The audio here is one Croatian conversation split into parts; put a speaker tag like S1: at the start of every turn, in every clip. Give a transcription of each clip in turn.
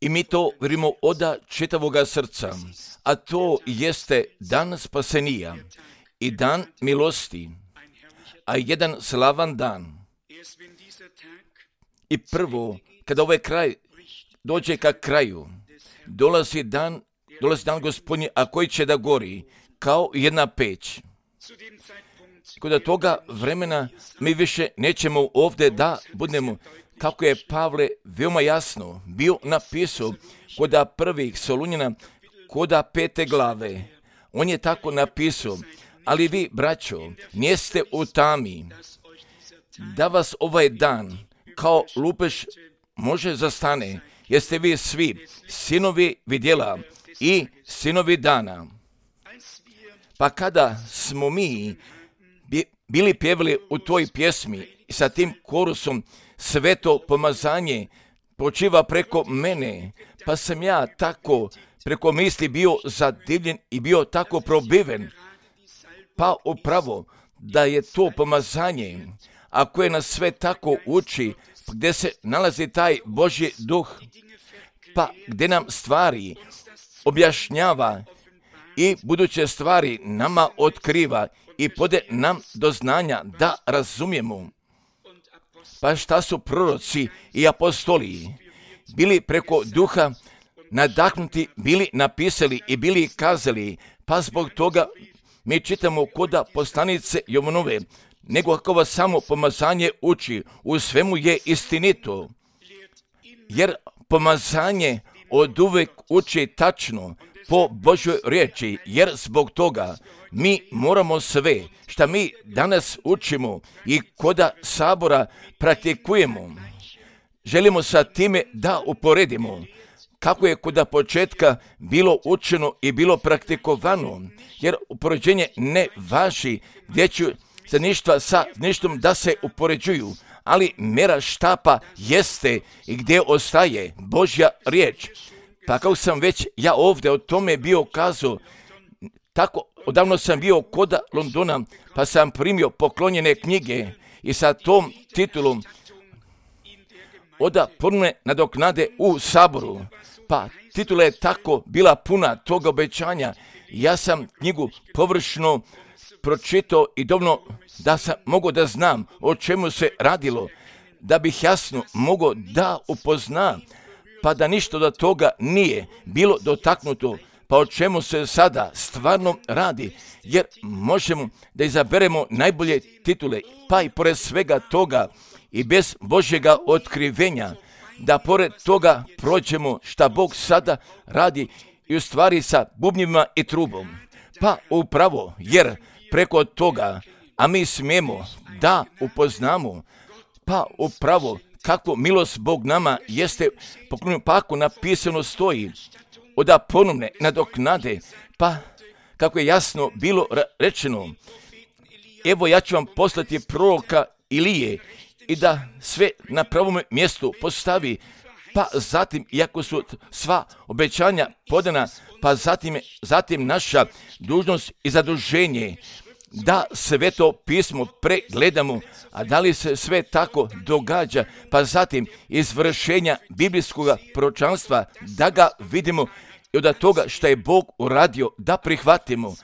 S1: I mi to vjerujemo od čitavoga srca, a to jeste dan spasenija i dan milosti, a jedan slavan dan. I prvo, kada ovaj kraj dođe ka kraju, dolazi dan Gospodnji, a koji će da gori kao jedna peć. Kod toga vremena mi više nećemo ovdje da budemo, kako je Pavle veoma jasno bio napisao kod prvih Solunjana, kod 5. glave. On je tako napisao, ali vi, braćo, nijeste u tami, da vas ovaj dan kao lupež može zastane, jeste vi svi sinovi vidjela i sinovi dana. Pa kada smo mi bili pjevali u toj pjesmi sa tim korusom sveto pomazanje počiva preko mene, pa sam ja tako preko misli bio zadivljen i bio tako probiven. Pa upravo da je to pomazanje, a koje nas sve tako uči, gdje se nalazi taj Božji duh, pa gdje nam stvari objašnjava i buduće stvari nama otkriva i pode nam do znanja da razumijemo. Pa šta su proroci i apostoli bili preko duha nadahnuti, bili napisali i bili kazali, pa zbog toga mi čitamo koda poslanice Jovanove, nego kako vas samo pomazanje uči, u svemu je istinito. Jer pomazanje od uvek uči tačno po Božoj riječi, jer zbog toga mi moramo sve što mi danas učimo i koda sabora praktikujemo. Želimo sa time da uporedimo kako je kod početka bilo učeno i bilo praktikovano, jer upoređenje ne važi gdje ću za ništa sa ništom da se upoređuju, ali mjera štapa jeste i gdje ostaje Božja riječ. Pa kako sam već ja ovdje o tome bio kazao, tako odavno sam bio kod Londona, pa sam primio poklonjene knjige i sa tom titulom od ponovne nadoknade u saboru. Pa titula je tako bila puna toga obećanja. Ja sam knjigu površno pročitao i dovoljno da sam mogao da znam o čemu se radilo, da bih jasno mogao da upoznam, pa da ništa do toga nije bilo dotaknuto, pa o čemu se sada stvarno radi, jer možemo da izaberemo najbolje titule, pa i pored svega toga i bez Božjega otkrivenja, da pored toga prođemo šta Bog sada radi i u stvari sa bubnjima i trubom. Pa upravo, jer preko toga, a mi smijemo da upoznamo, pa upravo kako milost Bog nama jeste poklonjena, pa ako napisano stoji od ponovne nadoknade, pa kako je jasno bilo rečeno, evo ja ću vam poslati proroka Ilije i da sve na pravom mjestu postavi, pa zatim, iako su sva obećanja podana, pa zatim naša dužnost i zaduženje da sveto pismo pregledamo, a da li se sve tako događa, pa zatim izvršenja biblijskog proročanstva da ga vidimo i od toga što je Bog uradio da prihvatimo.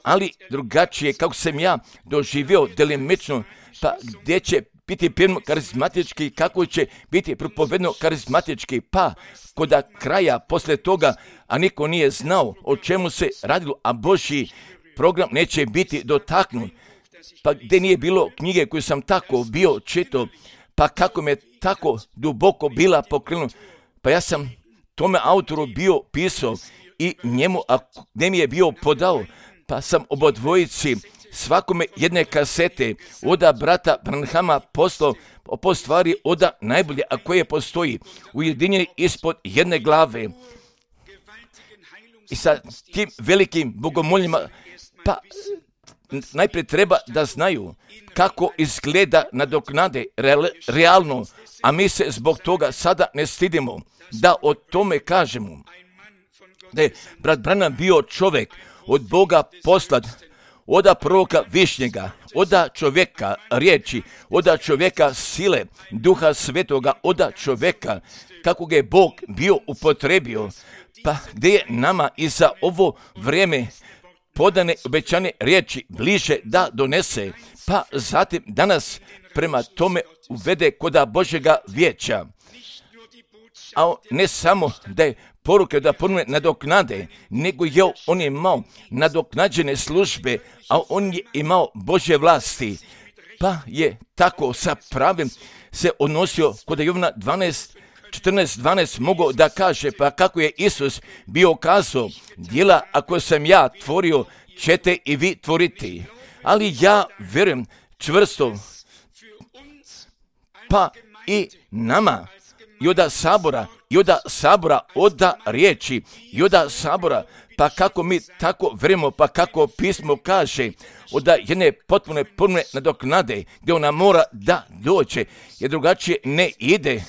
S1: Ali drugačije kako sam ja doživio delimično, pa gdje će biti pjevno karizmatički, kako će biti propovedno karizmatički, pa kod kraja poslije toga, a niko nije znao o čemu se radilo, a Božji program neće biti dotaknut, pa gdje nije bilo knjige koju sam tako bio čitao, pa kako me tako duboko bila pokrenuta, pa ja sam tome autoru bio pisao i njemu, a gdje mi je bio podao, pa sam obodvojici svakome jedne kasete od brata Branhama poslao po stvari od najbolje, a koje postoji ujedinjeni ispod jedne glave. I sa tim velikim bogomoljima, pa najprije treba da znaju kako izgleda nadoknade realno, a mi se zbog toga sada ne stidimo da o tome kažemo. Da je brat Branham bio čovjek od Boga poslat oda proroka Višnjega, oda čovjeka riječi, oda čovjeka sile, Duha Svetoga, oda čovjeka kako ga je Bog bio upotrebio, pa gdje je nama i za ovo vrijeme podane obećane riječi bliže da donese, pa zatim danas prema tome uvede koda Božjega vijeća. A ne samo da je poruke da ponovne nadoknade, nego je on imao nadoknađene službe, a on je imao Božje vlasti, pa je tako sa pravim se odnosio kod Jovana 14:12 mogao da kaže, pa kako je Isus bio kazao, djela ako sam ja tvorio, ćete i vi tvoriti. Ali ja vjerujem čvrsto, pa i nama, i od sabora, od riječi, i od sabora, pa kako mi tako vjerujemo, pa kako pismo kaže, od jedne potpune nadoknade, gdje ona mora da dođe, jer drugačije ne ide,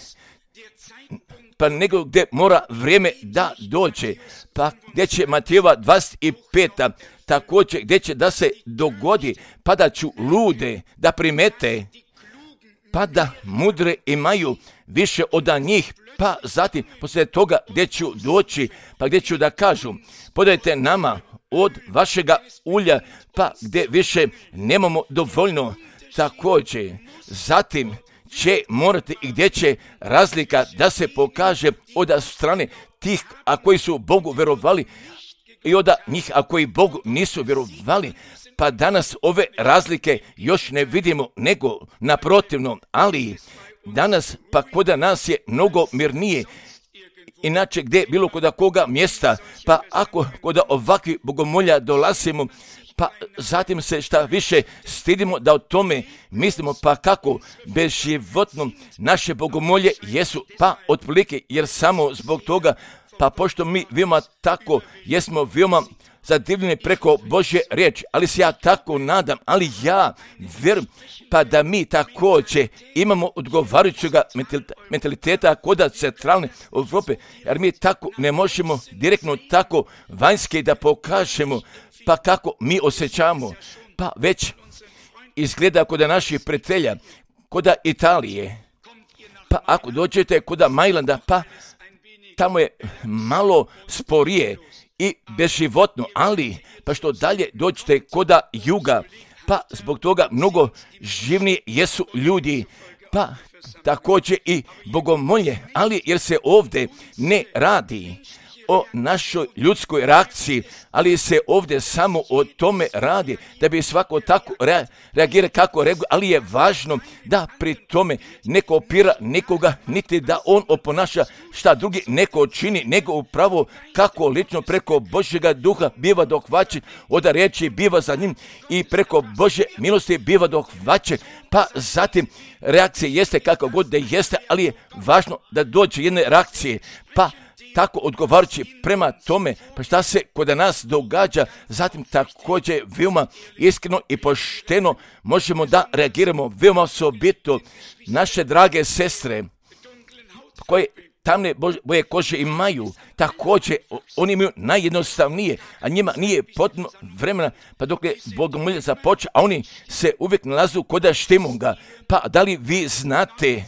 S1: pa nego gdje mora vrijeme da dođe, pa gdje će Matejeva 25. također gdje će da se dogodi, pa da ću lude da primete, pa da mudre imaju više od njih, pa zatim poslije toga gdje ću doći, pa gdje ću da kažu, podajte nama od vašega ulja, pa gdje više nemamo dovoljno, također zatim će morati i gdje će razlika da se pokaže od strane tih a koji su Bogu vjerovali i od njih a koji Bogu nisu vjerovali. Pa danas ove razlike još ne vidimo, nego naprotivno, ali danas pa koda nas je mnogo mirnije. Inače gdje bilo koda koga mjesta, pa ako koda ovakvi bogomolja dolazimo, pa zatim se šta više stidimo da o tome mislimo, pa kako bezživotno naše bogomolje jesu, pa otprilike, jer samo zbog toga, pa pošto mi veoma tako jesmo veoma zadivljeni preko Božje riječi, ali se ja tako nadam, ali ja vjerujem, pa da mi također imamo odgovarajućeg mentaliteta kod centralne Europe, jer mi tako ne možemo direktno tako vanjske da pokažemo, pa kako mi osjećamo, pa već izgleda kod naših prijatelja, kod Italije, pa ako dođete kod Majlanda, pa tamo je malo sporije i bezživotno, ali pa što dalje dođete kod juga, pa zbog toga mnogo živniji jesu ljudi, pa također i bogomolje, ali jer se ovdje ne radi o našoj ljudskoj reakciji, ali se ovdje samo o tome radi, da bi svako tako reagira kako reaguje, ali je važno da pri tome ne kopira nekoga, niti da on oponaša šta drugi neko čini, nego upravo kako lično preko Božjega duha biva dohvaćen, od riječi biva za njim i preko Božje milosti biva dohvaćen, pa zatim reakcija jeste kako god da jeste, ali je važno da dođe jedne reakcije, pa tako odgovarajući prema tome, pa šta se kod nas događa, zatim također veoma iskreno i pošteno možemo da reagiramo, veoma osobito naše drage sestre koje tamne boje kože imaju, također oni imaju najjednostavnije, a njima nije potrebno vremena, pa dok je bogomolje započeo, a oni se uvijek nalazu kod štimunga, pa da li vi znate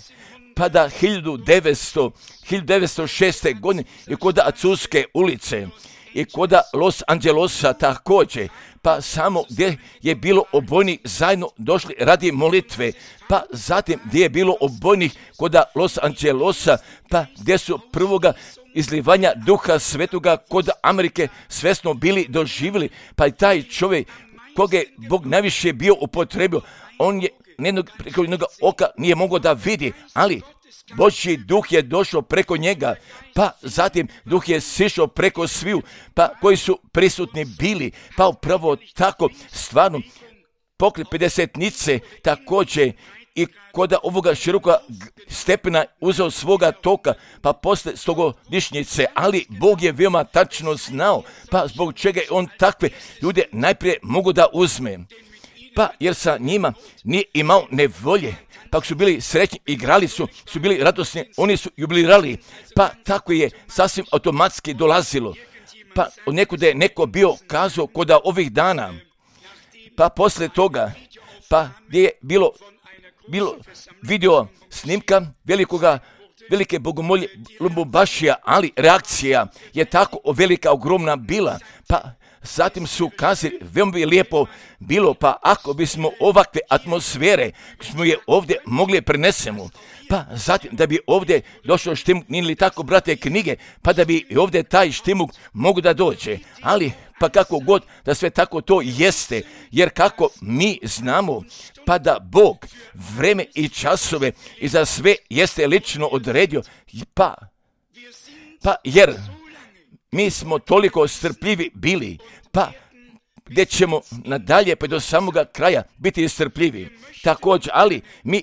S1: pa da 1906. godine i kod Azuske ulice i kod Los Angelesa također, pa samo gdje je bilo obojnih zajedno došli radi molitve, pa zatim gdje je bilo obojnih kod Los Angelesa, pa gdje su prvoga izlivanja Duha Svetoga kod Amerike svesno bili doživjeli, pa i taj čovjek koga je Bog najviše bio upotrebio, on je preko jednog oka nije mogao da vidi, ali Božji duh je došao preko njega, pa zatim duh je sišao preko sviju, pa koji su prisutni bili, pa upravo tako stvarno pokret 50-nice također i kod ovoga široka stepena uzeo svoga toka, pa posle 100-godišnjice, ali Bog je veoma tačno znao, pa zbog čega je on takve ljude najprije mogu da uzme. Pa jer sa njima nije imao nevolje, pa su bili srećni, igrali su bili radosni, oni su jubilirali, pa tako je sasvim automatski dolazilo. Pa od nekuda je neko bio kazao kod ovih dana, pa poslije toga, pa gdje je bilo video snimka velike bogomolje Lumumbašija, ali reakcija je tako velika, ogromna bila, pa zatim su kazali, veoma bi lijepo bilo, pa ako bismo ovakve atmosfere, smo je ovdje mogli prenesemo, pa zatim da bi ovdje došao štimuk, nije li tako, brate, knjige, pa da bi ovdje taj štimuk mogu da dođe, ali pa kako god da sve tako to jeste, jer kako mi znamo, pa da Bog vreme i časove i za sve jeste lično odredio, pa jer mi smo toliko strpljivi bili, pa gdje ćemo nadalje pa do samoga kraja biti strpljivi. Također, ali mi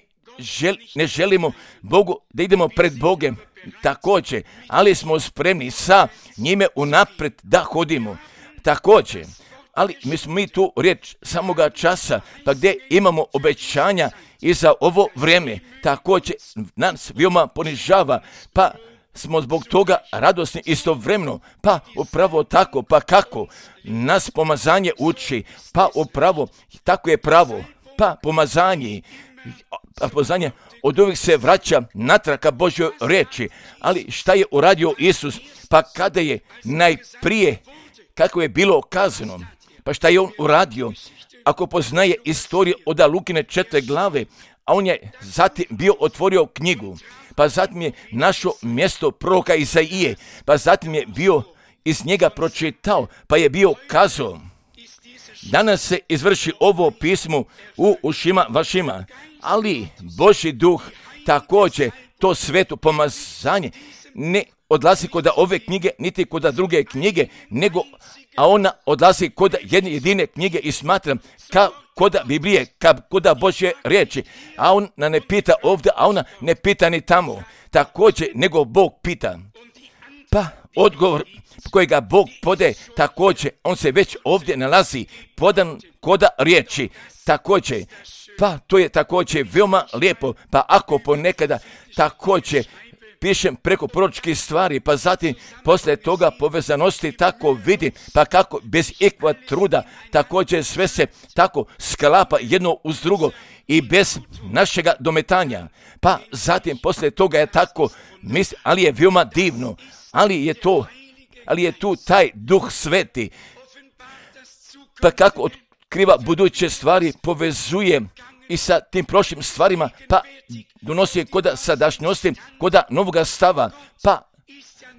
S1: ne želimo Bogu da idemo pred Bogem, također, ali smo spremni sa njime unaprijed da hodimo. Također, ali mi tu riječ samoga časa, pa gdje imamo obećanja i za ovo vrijeme, također nas veoma ponižava, pa smo zbog toga radosni istovremeno, pa upravo tako, pa kako nas pomazanje uči, pa upravo tako je pravo, pa pomazanje od uvijek se vraća natrag ka Božjoj riječi, ali šta je uradio Isus, pa kada je najprije, kako je bilo kazano, pa šta je on uradio, ako poznaje istoriju od Lukine 4. glave, a on je zatim bio otvorio knjigu, pa zatim je našao mjesto proroka Izaije, pa zatim je bio iz njega pročitao, pa je bio kazao, danas se izvrši ovo pismo u ušima vašima, ali Božji duh također to sveto pomazanje ne odlazi kod ove knjige, niti kod druge knjige, a ona odlazi kod jedne jedine knjige i smatram kod Biblije, kod Božje riječi, a ona ne pita ovdje, a ona ne pita ni tamo, također nego Bog pita. Pa odgovor kojega Bog pode, također on se već ovdje nalazi podan kod riječi, također. Pa to je također veoma lijepo, pa ako ponekada također pišem preko proročkih stvari, pa zatim poslije toga povezanosti tako vidim, pa kako bez ikva truda također sve se tako sklapa jedno uz drugo i bez našega dometanja. Pa zatim poslije toga je tako, ali je veoma divno, ali je tu taj Duh Sveti, pa kako otkriva buduće stvari, povezuje i sa tim prošlim stvarima, pa donosi koda sadašnjosti, koda novoga stava, pa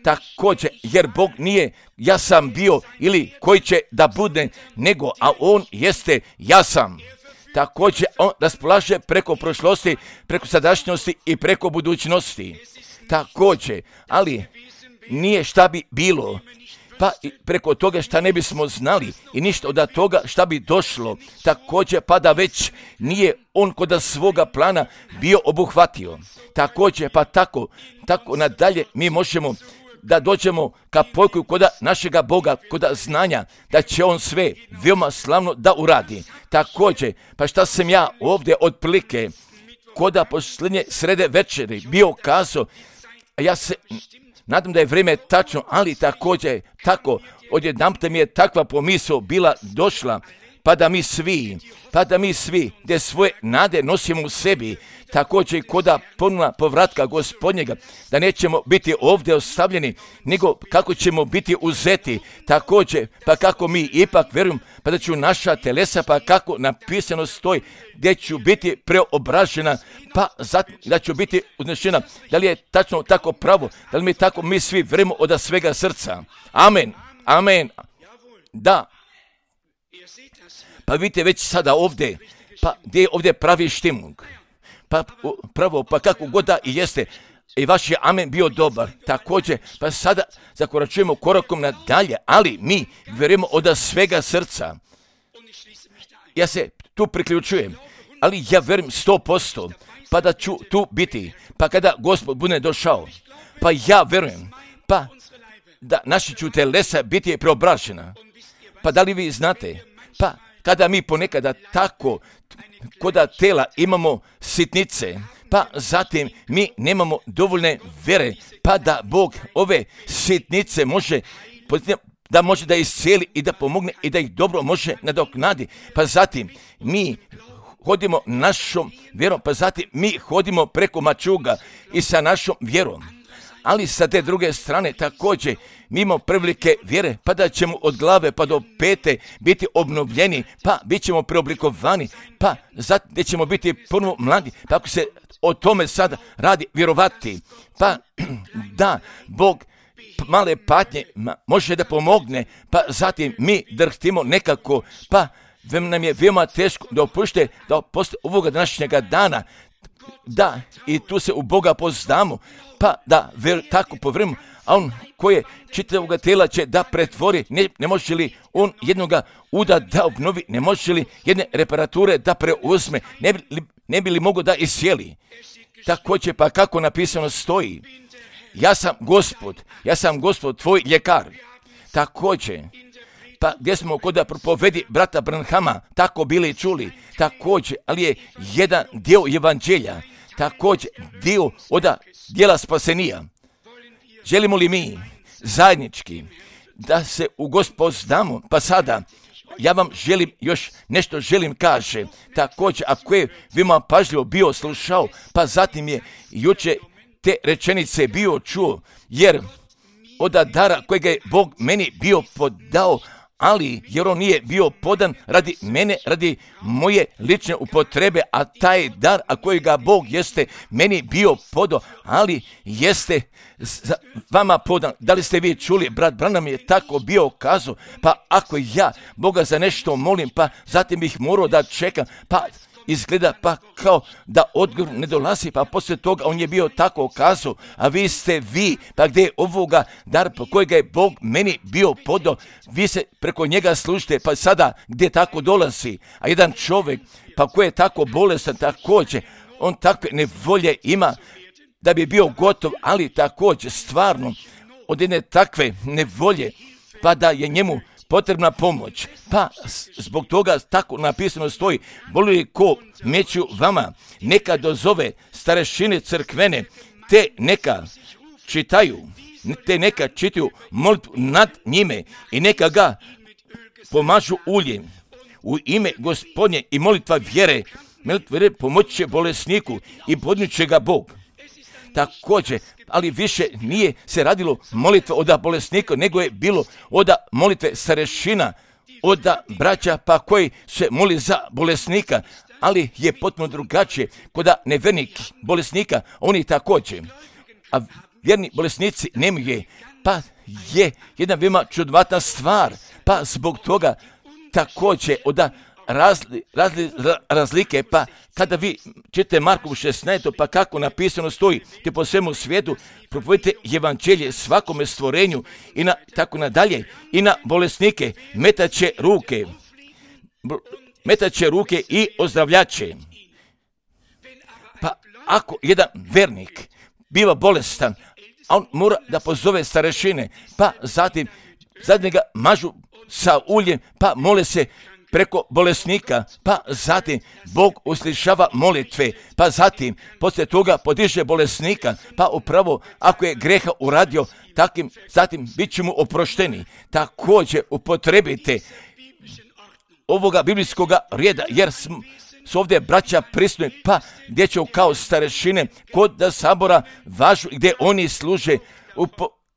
S1: također, jer Bog nije ja sam bio ili koji će da bude, nego, a on jeste ja sam. Također, on raspolaže preko prošlosti, preko sadašnjosti i preko budućnosti. Također, ali nije šta bi bilo, pa i preko toga šta ne bismo znali i ništa od toga šta bi došlo, također pa da već nije on kod svoga plana bio obuhvatio. Također pa tako nadalje mi možemo da dođemo ka pojku kod našega Boga, kod znanja da će on sve veoma slavno da uradi. Također, pa šta sam ja ovdje otprilike kod posljednje srede večeri bio kazao, ja se nadam da je vrijeme tačno, ali također tako, odjedanput mi je takva pomisao bila došla, pa da mi svi, gdje svoje nade nosimo u sebi, također koda ponovna povratka Gospodnjega, da nećemo biti ovdje ostavljeni, nego kako ćemo biti uzeti, također, pa kako mi ipak vjerujem, pa da ću naša telesa, pa kako napisano stoji, gdje ću biti preobražena, pa zatim da ću biti uznešena. Da li je tačno tako pravo? Da li mi tako mi svi vjerujemo od svega srca? Amen, amen, da. Pa vidite već sada ovdje, pa gdje je ovdje pravi štimung, pa pravo, pa kako god da i jeste, i vaš je amen bio dobar, također, pa sada zakoračujemo korakom nadalje, ali mi vjerujemo od svega srca. Ja se tu priključujem, ali ja vjerujem 100%, pa da ću tu biti, pa kada Gospod bude došao, pa ja vjerujem, pa da naši ću telesa biti preobražena, pa da li vi znate, pa kada mi ponekada tako koda tela imamo sitnice, pa zatim mi nemamo dovoljne vjere, pa da Bog ove sitnice može da može da iscijeli i da pomogne i da ih dobro može nadoknadi. Pa zatim mi hodimo našom vjerom, pa zatim mi hodimo preko mačuga i sa našom vjerom. Ali sa te druge strane također mi imamo prevelike vjere, pa da ćemo od glave pa do pete biti obnovljeni, pa bit ćemo preoblikovani, pa zatim gdje ćemo biti ponovo mladi, pa ako se o tome sada radi vjerovati, pa da Bog male patnje može da pomogne, pa zatim mi drhtimo nekako, pa nam je veoma teško da opušte da posle ovoga današnjega dana, da i tu se u Boga poznamo, pa da tako povremeno, a on koje čitavoga tela će da pretvori, ne može li on jednoga uda da obnovi, ne može li jedne reparature da preuzme, ne bi li mogo da isjeli. Također pa kako napisano stoji, ja sam Gospod tvoj ljekar. Također, pa gdje smo kod da propovedi brata Branhama tako bili čuli, također, ali je jedan dio evanđelja, također dio od dijela spasenija. Želimo li mi zajednički da se u Gospod znamo? Pa sada, ja vam još nešto želim kaže, također, ako je veoma pažljivo bio slušao, pa zatim je juče te rečenice bio čuo, jer od dara kojega je Bog meni bio podao, ali jer on nije bio podan radi mene, radi moje lične upotrebe, a taj dar, a kojega Bog jeste meni bio podao, ali jeste vama podan. Da li ste vi čuli, brat Branham je tako bio kazao, pa ako ja Boga za nešto molim, pa zatim bih morao da čekam, pa izgleda pa kao da odgovor ne dolazi, pa poslije toga on je bio tako kazao, a vi ste vi, pa gdje je ovoga dar po kojega je Bog meni bio podao, vi se preko njega služite, pa sada gdje tako dolazi, a jedan čovjek, pa koji je tako bolestan također, on takve nevolje ima da bi bio gotov, ali također stvarno od jedne takve nevolje, pa da je njemu potrebna pomoć, pa zbog toga tako napisano stoji, boli li ko meću vama, neka dozove starešine crkvene, te neka čitaju molitvu nad njime i neka ga pomažu uljem u ime Gospodnje i molitva vjere pomoći će bolesniku i podnijet će ga Bog. Također, ali više nije se radilo molitva od bolesnika, nego je bilo od molitve starešina, od braća pa koji se moli za bolesnika, ali je potpuno drugačije kod nevernih bolesnika, oni također, a vjerni bolesnici nemaju, pa je jedna veoma čudnovatna stvar, pa zbog toga također od razlike, pa kada vi čitate Markovu 16, pa kako napisano stoji, te po svemu svijetu propovedite evanđelje svakome stvorenju i tako nadalje, i na bolesnike metaće ruke i ozdravljaće. Pa ako jedan vernik biva bolestan, a on mora da pozove starešine, pa zatim ga mažu sa uljem, pa mole se preko bolesnika, pa zatim Bog uslišava molitve, pa zatim poslije toga podiže bolesnika, pa upravo ako je greha uradio, zatim bit će mu oprošteni. Također upotrebite ovoga biblijskoga reda, jer su ovdje braća prisutni, pa gdje će kao starešine kod sabora važu gdje oni služe,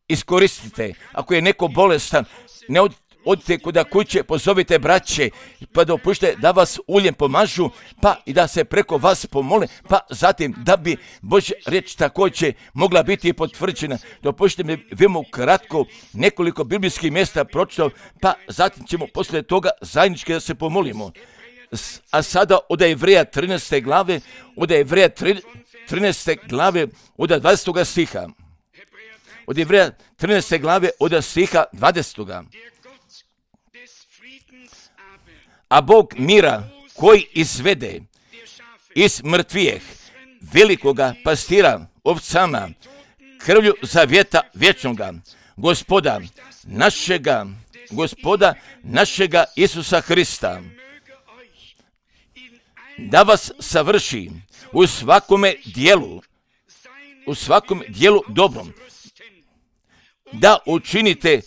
S1: iskoristite. Ako je neko bolestan, ne odite kod kuće, pozovite braće, pa dopušte da vas uljem pomažu, pa i da se preko vas pomole, pa zatim da bi Božja riječ također mogla biti potvrđena. Dopušte mi veoma kratko nekoliko biblijskih mjesta pročitao, pa zatim ćemo poslije toga zajednički da se pomolimo. A sada od Jevreja 13. glave, od Jevreja 13. glave, od 20. stiha. Od Jevreja 13. glave, od stiha 20. A Bog mira koji izvede iz mrtvijeh velikoga pastira ovcama krvlju zavjeta vječnoga gospoda našega Isusa Hrista, da vas savrši u svakome dijelu dobrom, da učinite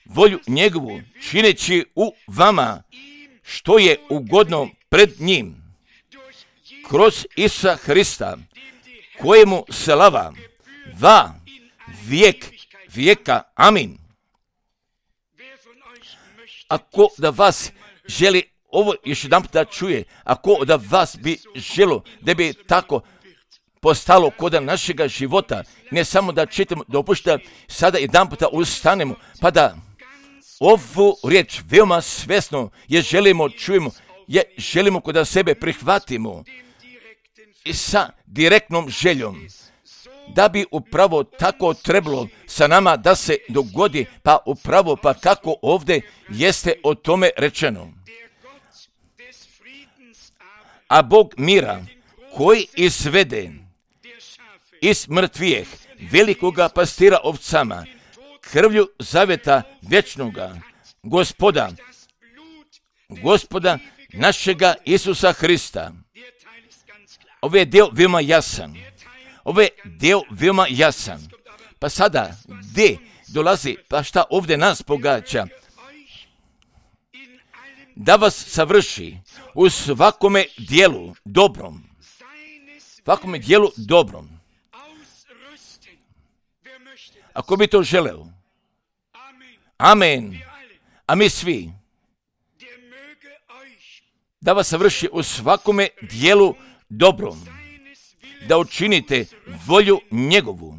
S1: volju njegovu, čineći u vama što je ugodno pred njim, kroz Isusa Hrista, kojemu slava va vijek vijeka. Amin. Ako da vas želi ovo još jedan da čuje, ako da vas bi želo da bi tako postalo kod našega života, ne samo da čitamo, dopušta sada jedan puta ustanemo, pa da ovu riječ veoma svjesno je želimo, čujemo, je želimo kod sebe prihvatimo i sa direktnom željom, da bi upravo tako trebalo sa nama da se dogodi, pa upravo pa kako ovdje jeste o tome rečeno. A Bog mira, koji izvede iz mrtvijeh velikoga pastira ovcama, krvlju zaveta vječnoga, gospoda našega Isusa Hrista. Ovo je dio veoma jasan. Pa sada, gdje dolazi, pa šta ovdje nas pogađa? Da vas savrši u svakome dijelu dobrom. Svakome dijelu dobrom. Ako bi to želeo. Amen. A mi svi. Da vas savrši u svakome dijelu dobrom. Da učinite volju njegovu.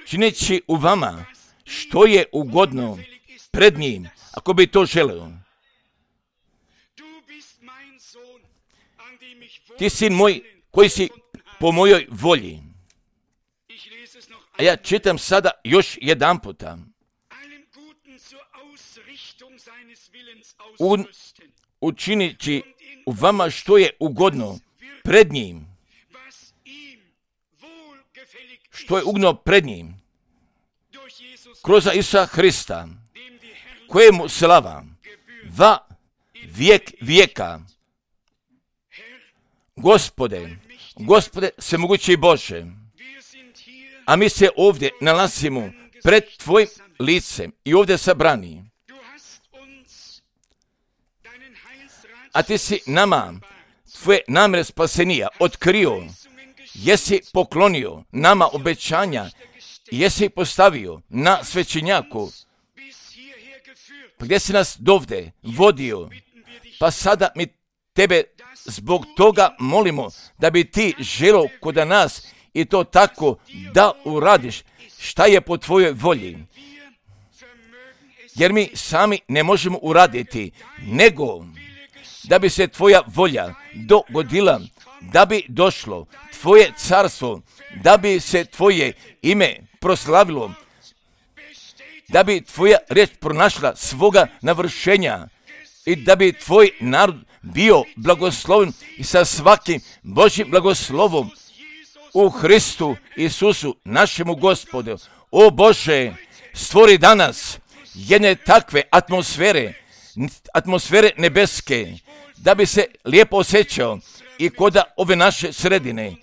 S1: Čineći u vama što je ugodno pred njim, ako bi to želeo. Ti sin moj, koji si po mojoj volji. A ja čitam sada još jedan puta. Učinići u vama što je ugodno pred njim. Što je ugodno pred njim. Kroz Isusa Hrista, kojemu slava va vijek vijeka. Gospode svemogući Bože, a mi se ovdje nalazimo pred tvojim licem i ovdje sabrani. A ti si nama tvoje namjere spasenija otkrio, jesi poklonio nama obećanja, jesi postavio na svećenjaku, gdje si nas dovde vodio, pa sada mi tebe zbog toga molimo da bi ti želio kod nas i to tako da uradiš šta je po tvojoj volji. Jer mi sami ne možemo uraditi, nego da bi se tvoja volja dogodila, da bi došlo tvoje carstvo, da bi se tvoje ime proslavilo, da bi tvoja riječ pronašla svoga navršenja i da bi tvoj narod bio blagosloven i sa svakim Božjim blagoslovom u Hristu Isusu, našemu Gospodu. O Bože, stvori danas jedne takve atmosfere nebeske, da bi se lijepo osjećao i kod ove naše sredine,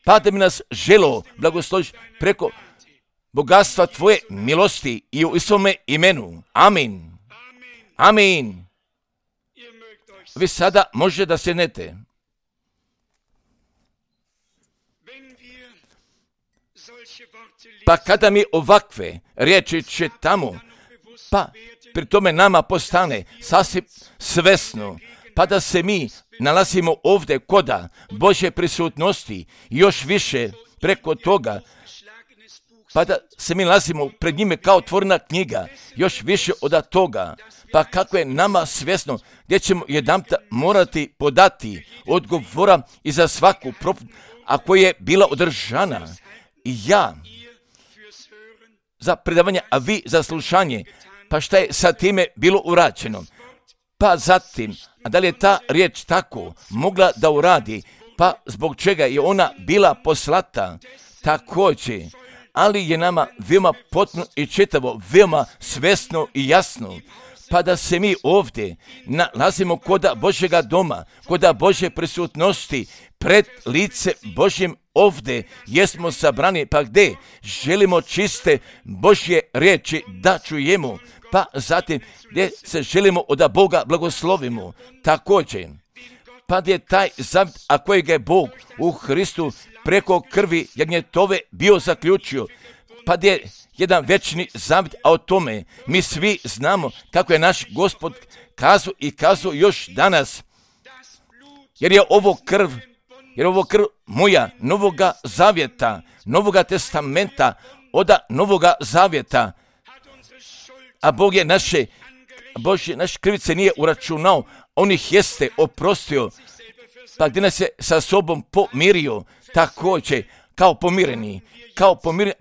S1: pa da bi nas želo blagosloviš preko bogatstva tvoje milosti i u svome imenu. Amin. Amin. Vi sada možete da sjednete. Pa kada mi ovakve riječi čitamo, pa pri tome nama postane sasvim svesno, pa da se mi nalazimo ovdje koda Božje prisutnosti, još više preko toga, pa da se mi nalazimo pred njime kao otvorena knjiga, još više od toga, pa kako je nama svjesno gdje ćemo jedanput morati podati odgovora i za svaku propovijed, ako je bila održana. I ja za predavanje, a vi za slušanje, pa šta je sa time bilo urađeno? Pa zatim, a da li je ta riječ tako mogla da uradi, pa zbog čega je ona bila poslata također, ali je nama veoma potpuno i čitavo, veoma svjesno i jasno, pa da se mi ovdje nalazimo koda Božjega doma, koda Božje prisutnosti, pred lice Božjim ovdje jesmo sabrani, pa gdje želimo čiste Božje riječi da čujemo, pa zatim gdje se želimo da Boga blagoslovimo. Također, pa gdje je taj zavjet, a kojeg je Bog u Hristu preko krvi jagnjetove bio zaključio, pa gdje je jedan večni zavjet, a o tome mi svi znamo kako je naš Gospod kazao i kazao još danas, jer je ovo krv moja novoga zavjeta, novoga testamenta, oda novoga zavjeta, a Bog je naše krivice nije uračunao, on ih jeste oprostio, pa gdje nas je sa sobom pomirio, također kao pomireni,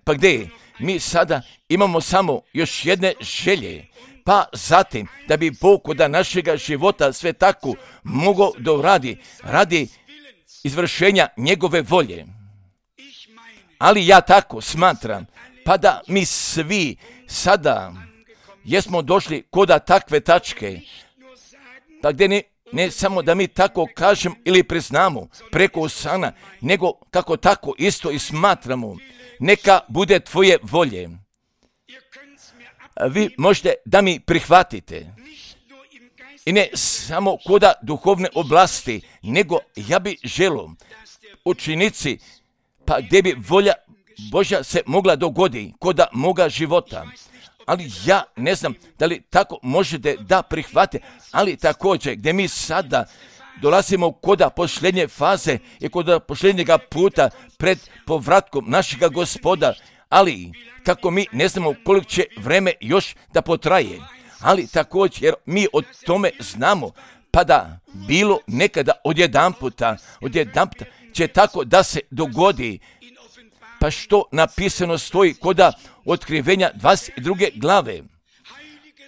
S1: pa gdje je? Mi sada imamo samo još jedne želje, pa zatim da bi Bog od našega života sve tako mogao da radi izvršenja njegove volje. Ali ja tako smatram, pa da mi svi sada jesmo došli koda takve tačke, pa gdje ne samo da mi tako kažem ili priznamo preko usana, nego kako tako isto i smatramo, neka bude tvoje volje. Vi možete da mi prihvatite. I ne samo koda duhovne oblasti, nego ja bi želio učinici, pa gdje bi volja Božja se mogla dogodi koda moga života. Ali ja ne znam da li tako možete da prihvatite, ali također gdje mi sada dolazimo koda posljednje faze i koda posljednjega puta pred povratkom našega Gospoda, ali kako mi ne znamo koliko će vreme još da potraje, ali također jer mi o tome znamo, pa da bilo nekada odjedanputa će tako da se dogodi, pa što napisano stoji koda otkrivenja 22. glave.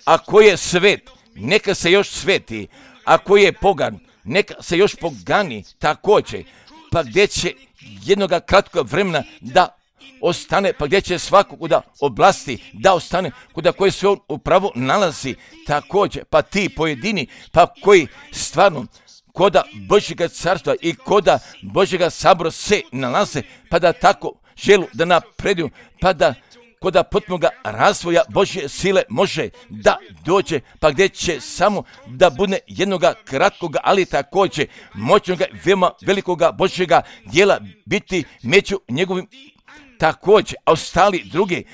S1: Ako je svet, neka se još sveti, ako je pogan, neka se još pogani također, pa gdje će jednoga kratkog vremena da ostane, pa gdje će svakog da oblasti da ostane, kuda koji se on upravo nalazi također, pa ti pojedini, pa koji stvarno koda Božjega carstva i koda Božjega sabora se nalaze, pa da tako želu da napreduju, pa da koda potpunoga razvoja Božje sile može da dođe, pa gdje će samo da bude jednoga kratkoga, ali također moćnoga, veoma velikoga Božjega djela biti među njegovim također, a ostali drugi,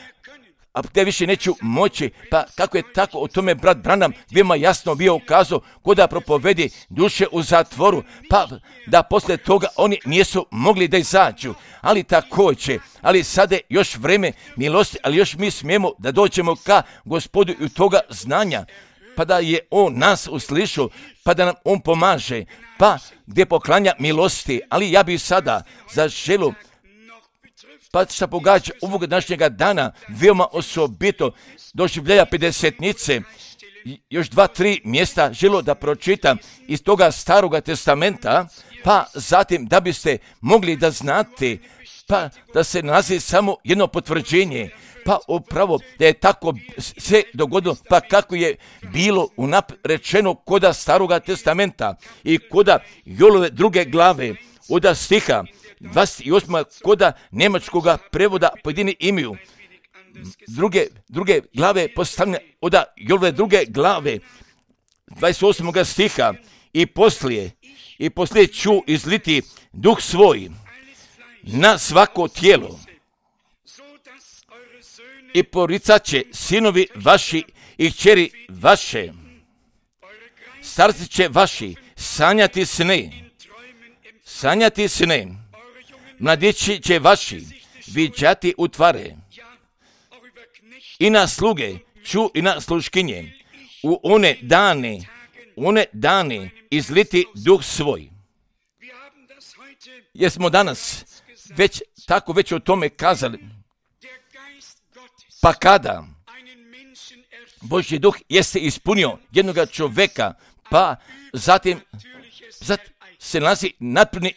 S1: a te više neću moći, pa kako je tako o tome brat Branham veoma jasno bio ukazao koda propovedi duše u zatvoru, pa da poslije toga oni nisu mogli da izađu, ali također, ali sada je još vreme milosti, ali još mi smijemo da dođemo ka Gospodu i u toga znanja, pa da je on nas uslišao, pa da nam on pomaže, pa gdje poklanja milosti, ali ja bih sada zaželio, pa što pogađa ovog današnjega dana, veoma osobito doživljaja pedesetnice, još 2-3 mjesta želo da pročitam iz toga staroga testamenta, pa zatim da biste mogli da znate, pa da se nalazi samo jedno potvrđenje, pa upravo da je tako sve dogodilo, pa kako je bilo rečeno koda staroga testamenta i koda Jolove 2. glave, od stiha 28. koda njemačkoga prevoda pojedini imaju. Druge glave postavljene od Jolove 2. glave 28. stiha i poslije ću izliti duh svoj na svako tijelo i poricat će sinovi vaši i kćeri vaše, starci će vaši sanjati sne, mladići će vaši viđati utvare, i na sluge ću i na sluškinje u one dane izliti duh svoj. Jer smo danas već o tome kazali, pa kada Božji duh jeste ispunio jednoga čovjeka, pa zatim se nalazi napredni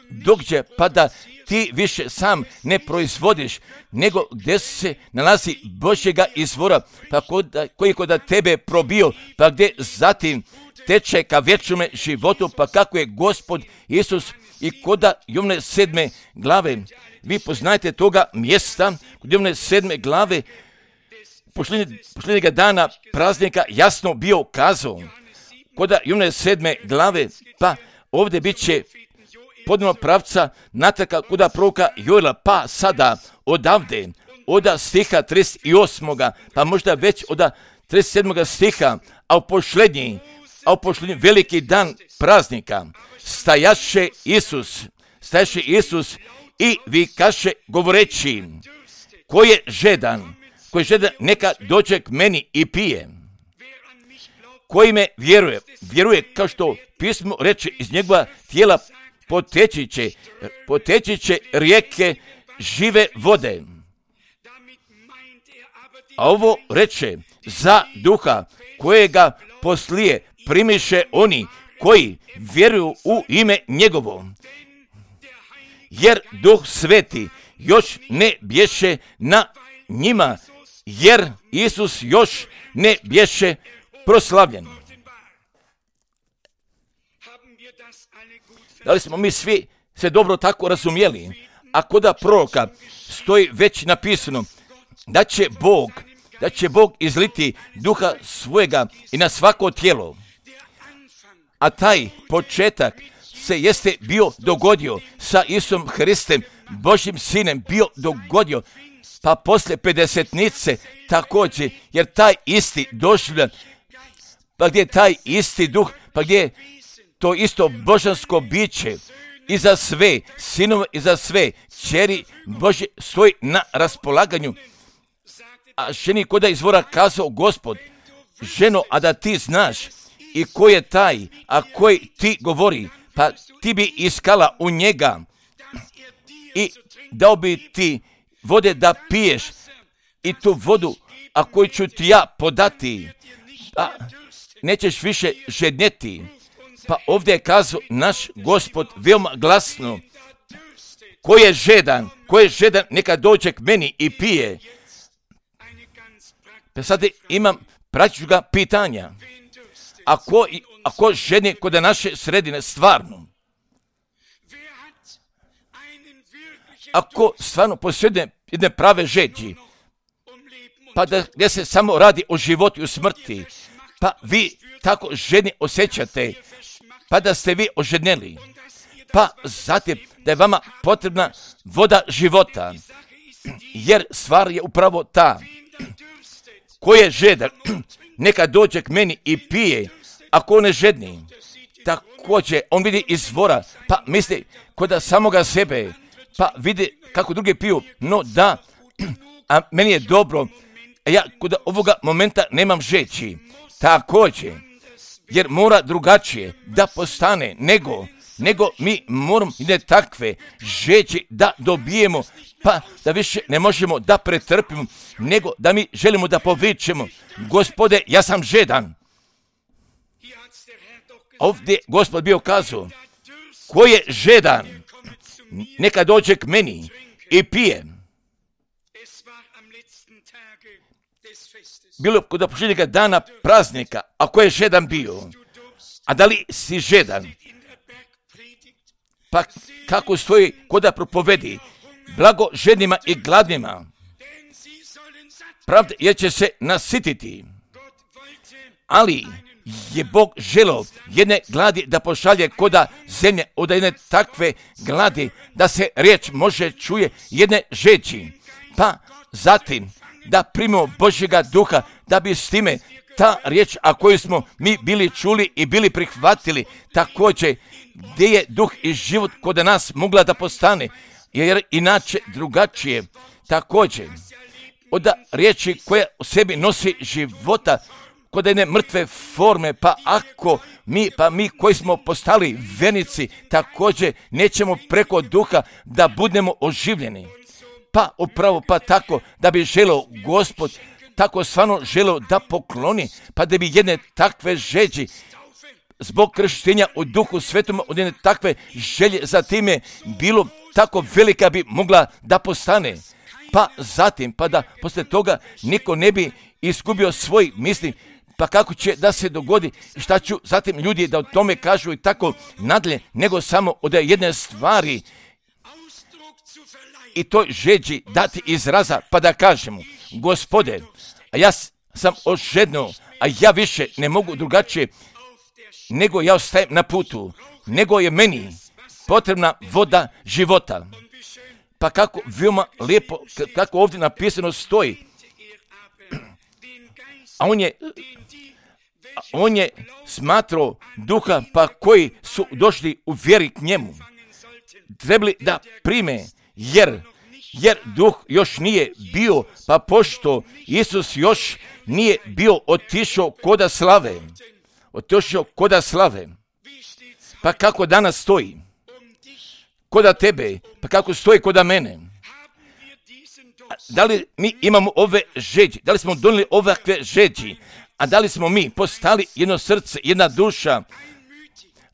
S1: događaj, pa da ti više sam ne proizvodiš, nego gdje se nalazi Božjega izvora, pa koji je kod tebe probio, pa gdje zatim teče ka vječnome životu, pa kako je Gospod Isus I kod Jovne 7. glave, vi poznajete toga mjesta, kod Jovne 7. glave, posljednjega dana praznika jasno bio kazao. Kod Jovne 7. glave, pa ovdje bit će podno pravca natraka kod proroka Joela, pa sada odavde, od stiha 38. pa možda već od 37. stiha, a u posljednji veliki dan praznika stajaše Isus i vikaše govoreći, ko je žedan, neka dođe k meni i pije. Koji me vjeruje kao što pismo reče, iz njegova tijela poteći će rijeke žive vode. A ovo reče za duha kojega poslije primiše oni koji vjeruju u ime njegovo. Jer Duh Sveti još ne bješe na njima, jer Isus još ne bješe proslavljen. Da li smo mi svi sve dobro tako razumjeli? A kod proroka stoji već napisano da će Bog izliti duha svojega i na svako tijelo. A taj početak se jeste bio dogodio sa Isusom Hristem, Božjim Sinem, bio dogodio, pa poslije pedesetnice također, jer taj isti doživljan, pa gdje je taj isti duh, pa gdje je to isto božansko biće i za sve sinove i za sve kćeri Božje stoji na raspolaganju. A ženi koda izvora kazao Gospod, ženo, a da ti znaš i ko je taj, a koji ti govori, pa ti bi iskala u njega i dao bi ti vode da piješ i tu vodu, a koju ću ti ja podati, pa nećeš više žednjeti. Pa ovdje je kazao naš Gospod veoma glasno, ko je žedan, neka dođe k meni i pije. Pa sad imam praktičnoga pitanja. Ako ženi kod naše sredine stvarno, ako stvarno posjedne jedne prave žeđi, pa da gdje se samo radi o životu i o smrti, pa vi tako ženi osjećate, pa da ste vi oženjeli, pa zatim da je vama potrebna voda života, jer stvar je upravo ta, ko je žedan, neka dođe k meni i pije, ako ne žedni, također on vidi izvora, pa misli kod samoga sebe, pa vidi kako drugi piju, no da, a meni je dobro, a ja kod ovoga momenta nemam žeći, također, jer mora drugačije da postane nego mi moramo ne takve žeći da dobijemo, pa da više ne možemo da pretrpimo, nego da mi želimo da povičemo, Gospode, ja sam žedan. Ovdje Gospod bio kazao, ko je žedan, neka dođe k meni i pije. Bilo kod posljednjega dana praznika, a ko je žedan bio? A da li si žedan? Pa kako stoji kod propovedi? Blago žednima i gladnima, pravda jer će se nasititi. Ali je Bog želeo jedne gladi da pošalje koda zemlje, od jedne takve gladi da se riječ može čuje jedne žeći. Pa zatim da primimo Božjega duha, da bi s time ta riječ, a koju smo mi bili čuli i bili prihvatili, također gdje je duh i život kod nas mogla da postane, jer inače drugačije. Također od riječi koja u sebi nosi života kod jedne mrtve forme, pa ako mi koji smo postali vernici, također nećemo preko duha da budemo oživljeni. Pa upravo pa tako da bi želeo Gospod, tako stvarno želeo da pokloni, pa da bi jedne takve žeđi zbog krštenja u Duhu Svetom, od jedne takve želje za time bilo tako velika bi mogla da postane. Pa zatim, pa da poslije toga niko ne bi izgubio svoj misli, pa kako će da se dogodi i šta ću zatim ljudi da o tome kažu i tako nadalje, nego samo od jedne stvari i toj žeđi dati izraza pa da kažemo, Gospode, a ja sam ožednuo, a ja više ne mogu drugačije, nego ja ostajem na putu, nego je meni potrebna voda života. Pa kako veoma lijepo, kako ovdje napisano stoji, a on je smatrao duha pa koji su došli u vjeri k njemu, trebali da prime, jer duh još nije bio, pa pošto Isus još nije bio otišao koda slave, pa kako danas stoji koda tebe, pa kako stoji koda mene. Da li mi imamo ove žeđi, da li smo donijeli ovakve žeđi, a da li smo mi postali jedno srce, jedna duša,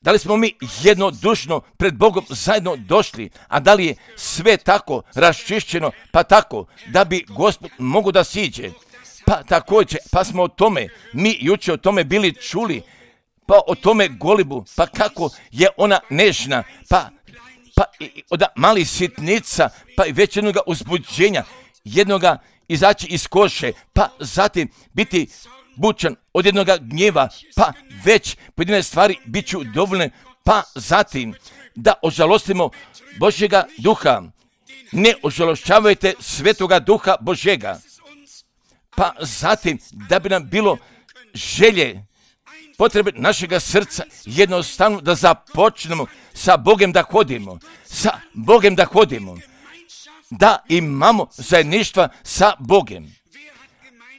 S1: da li smo mi jednodušno pred Bogom zajedno došli, a da li je sve tako raščišćeno, pa tako da bi Gospod mogo da siđe. Pa također, pa smo o tome, mi jučer o tome bili čuli, pa o tome golibu, pa kako je ona nežna, pa od malih sitnica, pa i već jednoga uzbuđenja, jednoga izaći iz koše, pa zatim biti bučan od jednoga gnjeva, pa već pojedine stvari bit ću dovoljne, pa zatim da ožalostimo Božjega duha. Ne ožalošćavajte Svetoga duha Božjega. Pa zatim da bi nam bilo želje, potrebe našega srca, jednostavno da započnemo sa Bogom da hodimo, da imamo zajedništva sa Bogom.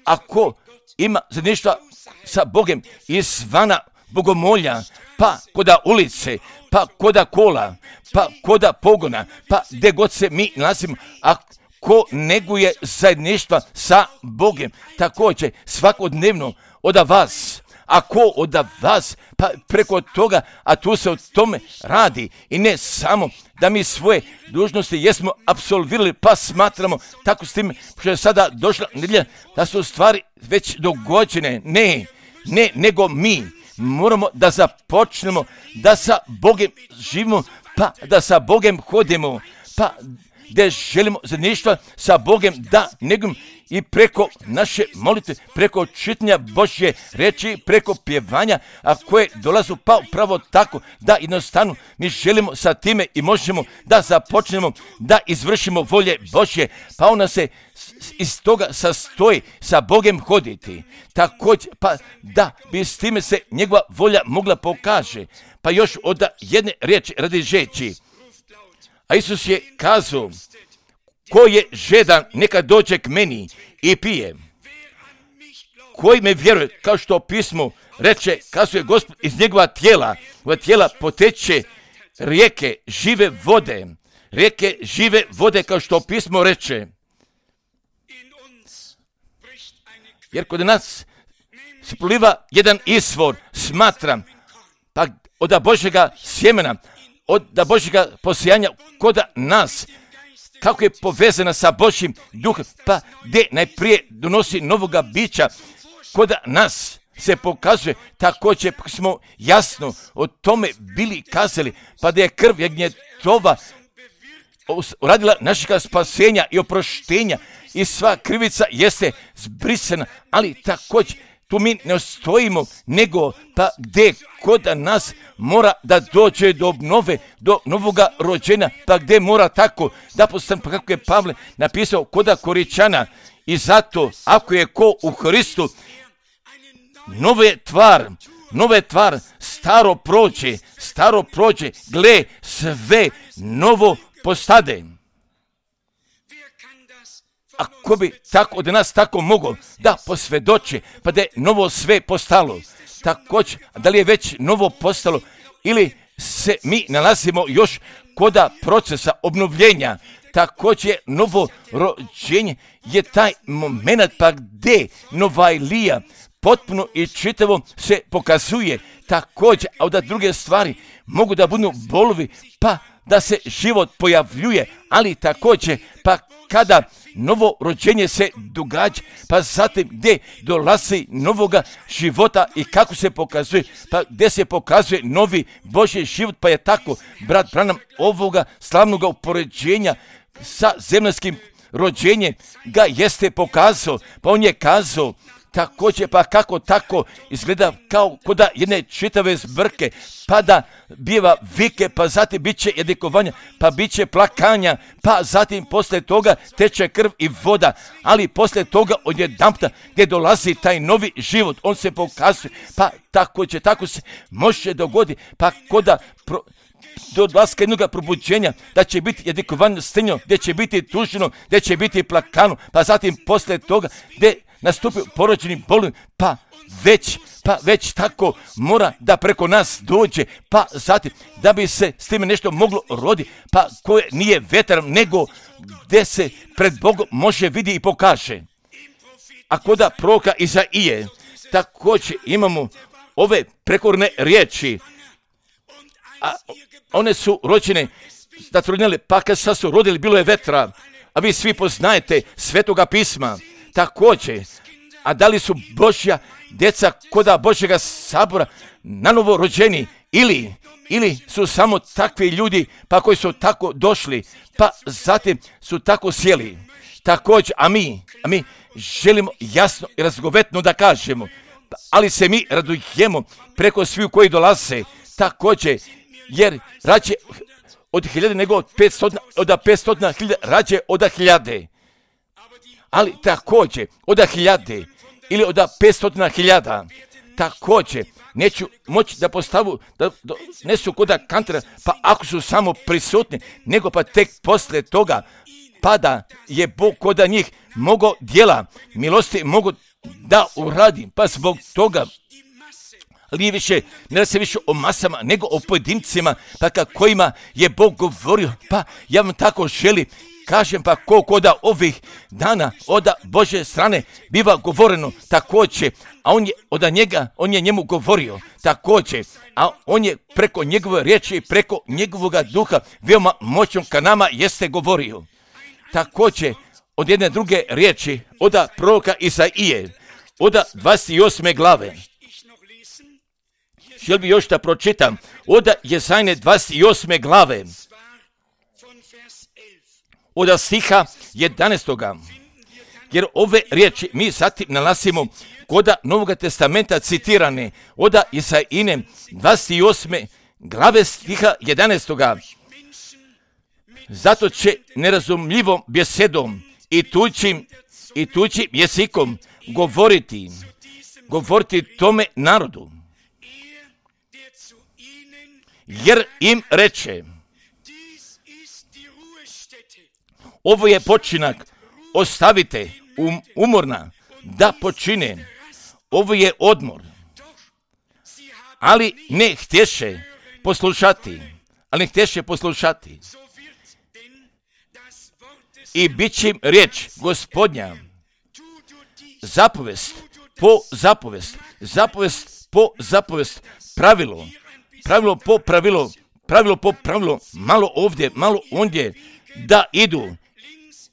S1: Ako ima zajedništva sa Bogom izvana bogomolja, pa koda ulice, pa koda kola, pa koda pogona, pa gdje god se mi nalazimo, ako neguje zajedništva sa Bogom, također svakodnevno od vas, ako od vas, pa preko toga, a tu se o tome radi i ne samo da mi svoje dužnosti jesmo apsolvirali, pa smatramo tako s tim što je sada došla nedjelja, da su stvari već dogođene. Ne, nego mi moramo da započnemo da sa Bogom živimo, pa da sa Bogom hodimo, pa gdje želimo zajedništva sa Bogom da negujemo i preko naše molitve, preko čitanja Božje reči, preko pjevanja, a koje dolazu pa upravo tako da jednostavno mi želimo sa time i možemo da započnemo da izvršimo volje Božje, pa ona se iz toga sastoji sa Bogom hoditi. Također, pa da bi s time se njegova volja mogla pokaže. Pa još od jedne riječi radi žeći. A Isus je kazao, ko je žedan, neka dođe k meni i pije. Koji me vjeruje, kao što pismo reče, kazuje Gospod, iz njegova tijela poteče rijeke žive vode, kao što pismo reče. Jer kod nas se proliva jedan izvor, smatram, pa od Božjega sjemena, od Božjega posijanja kod nas, kako je povezana sa Božjim duhom, pa gdje najprije donosi novoga bića, kod nas se pokazuje, također smo jasno o tome bili kazali, pa da je krv jagnjetova uradila našega spasenja i oproštenja i sva krivica jeste zbrisana, ali također tu mi ne ostojimo, nego pa gdje kod nas mora da dođe do obnove, do novoga rođenja, pa gdje mora tako da postane, pa kako je Pavle napisao koda Koričana, i zato ako je ko u Hristu, nove tvar, staro prođe, gle, sve novo postade. Ako bi tako od nas tako mogao da posvjedoči, pa da je novo sve postalo, također, da li je već novo postalo ili se mi nalazimo još koda procesa obnovljenja, također novo rođenje je taj moment pa gdje nova Ilija potpuno i čitavo se pokazuje, također, a da druge stvari mogu da budu bolovi, pa da se život pojavljuje, ali također, pa kada novo rođenje se događa, pa zatim gdje dolazi novoga života i kako se pokazuje, pa gdje se pokazuje novi Božji život, pa je tako brat Branham ovoga slavnog upoređenja sa zemaljskim rođenjem ga jeste pokazao, pa on je kazao također, pa kako tako izgleda kao koda jedne čitave zbrke, pa da biva vike, pa zatim bit će jadikovanja, pa bit će plakanja, pa zatim poslije toga teče krv i voda, ali poslije toga odjedanputa gdje dolazi taj novi život, on se pokazuje, pa tako se može dogoditi, pa koda do dolaska jednog probuđenja, da će biti jadikovanje strinjo, gdje će biti tuženo, gdje će biti plakano, pa zatim poslije toga gdje nastupi porođeni bolin, pa već tako mora da preko nas dođe, pa zatim da bi se s time nešto moglo roditi, pa koje nije vetar, nego gdje se pred Bogom može vidi i pokaže. A koda proroka Izaije, također imamo ove prekorne riječi, a one su rođene, zatrudnjale, pa kad su rodili bilo je vetra, a vi svi poznajete Svetoga pisma, također, a da li su Božja djeca koda Božjega sabora nanovo rođeni ili su samo takvi ljudi pa koji su tako došli pa zatim su tako sjeli. Također, a mi želimo jasno i razgovetno da kažemo, ali se mi radujemo preko svih koji dolaze, također, jer rađe od 1000 nego od 500 rađe od 1000. Ali također, od 1000 ili od 500.000, također, neću moći da postavu, da nesu koda kantera, pa ako su samo prisutni, nego pa tek poslije toga, pa da je Bog koda njih mogao djela milosti mogu da uradi, pa zbog toga, ali ne se više o masama, nego o pojedincima, pa kojima je Bog govorio, pa ja vam tako želim, kažem pa koda ovih dana od Božje strane biva govoreno također, a on je njemu govorio također, a on je preko njegove riječi i preko njegovoga duha veoma moćno ka nama jeste govorio. Također, od jedne druge riječi, od proroka Izaije, od 28. glave. Želim bi još da pročitam, od Jezajne 28. glave, od stiha 11. Jer ove riječi mi zatim nalazimo kod Novog testamenta citirane od Isaijine 28. glave stiha 11. Zato će nerazumljivom besedom i tuđim jezikom govoriti tome narodu. Jer im reče, ovo je počinak, ostavite umorna da počine, ovo je odmor. Ali ne htješe poslušati. I bit će im riječ Gospodnja, zapovest po zapovest, pravilo po pravilo, malo ovdje, malo ondje,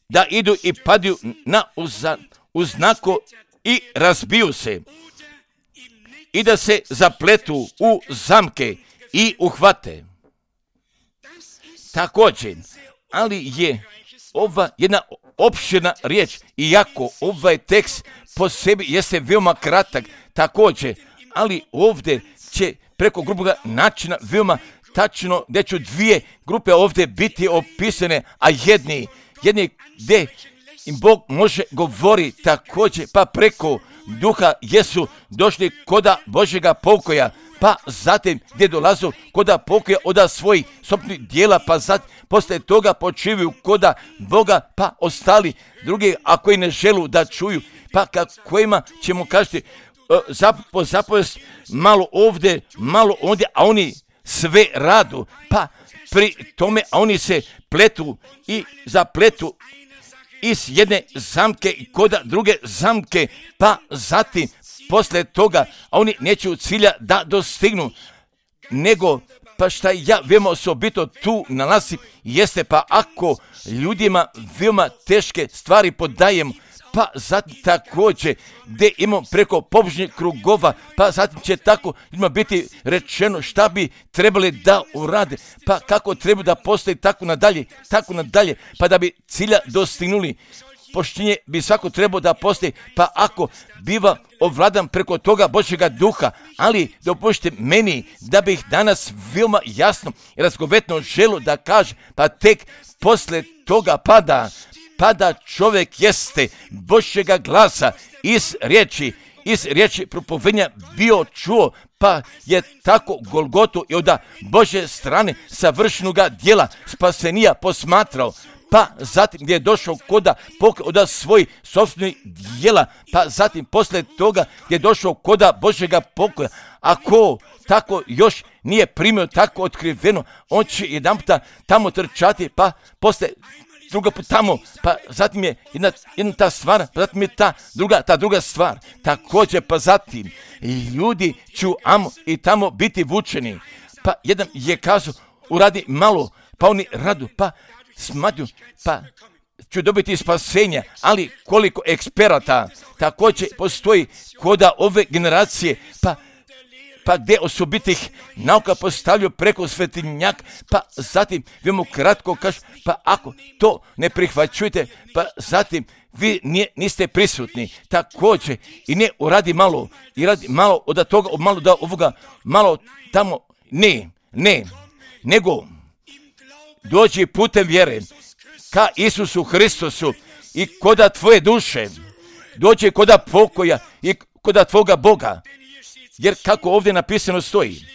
S1: da idu i padaju na uznako i razbiju se i da se zapletu u zamke i uhvate. Također, ali je ova jedna opširna riječ, iako ovaj tekst po sebi jeste veoma kratak, također, ali ovdje će preko gruboga načina veoma tačno, gdje ću dvije grupe ovdje biti opisane, a jedni gdje im Bog može govori također, pa preko duha jesu došli koda Božjega pokoja, pa zatim gdje dolazu koda pokoja od svojih sobnih dijela, pa zatim poslije toga počivaju koda Boga, pa ostali drugi, a koji ne želu da čuju, pa kojima ćemo kažiti po zapovest malo ovdje, malo ondje, a oni sve radu, pa pri tome, a oni se pletu i zapletu iz jedne zamke i koda druge zamke, pa zatim poslije toga, a oni neće cilja da dostignu, nego Pa šta ja veoma osobito tu nalazim jeste, pa ako ljudima veoma teške stvari podajem, pa zatim također gdje imamo preko pobožnih krugova, pa zatim će tako ljudima biti rečeno šta bi trebali da urade, pa kako treba da postoji tako nadalje, pa da bi cilja dostignuli. Poštenje bi svako trebao da postoji, pa ako biva ovladan preko toga Božjega duha, ali dopustite meni da bih danas veoma jasno i razgovetno želio da kažem, pa tek posle toga pada čovjek jeste Božjega glasa iz riječi propovedanja bio čuo, pa je tako Golgotu i od Božje strane savršenoga djela spasenija posmatrao, pa zatim gdje je došao od svojih sopstvenih djela, pa zatim posle toga gdje je došao koda Božjega pokoja. Ako tako još nije primio tako otkriveno, on će jedan puta tamo trčati, pa posle druga put tamo, pa zatim je jedna ta stvar, pa zatim je ta druga stvar. Također, pa zatim ljudi će i tamo biti vučeni. Pa jedan je kazao, uradi malo, pa oni radu, pa smatruju, pa ću dobiti spasenja, ali koliko eksperata također postoji koda ove generacije, pa gdje osobitih nauka postavljaju preko svetinjak, pa zatim vi kratko kažu, pa ako to ne prihvaćujete, pa zatim vi niste prisutni. Također i ne uradi malo, i radi malo od toga, malo da ovoga, malo tamo, ne, nego dođi putem vjere ka Isusu Hristosu i koda tvoje duše, dođi koda pokoja i koda tvoga Boga. Jer kako ovdje napisano stoji,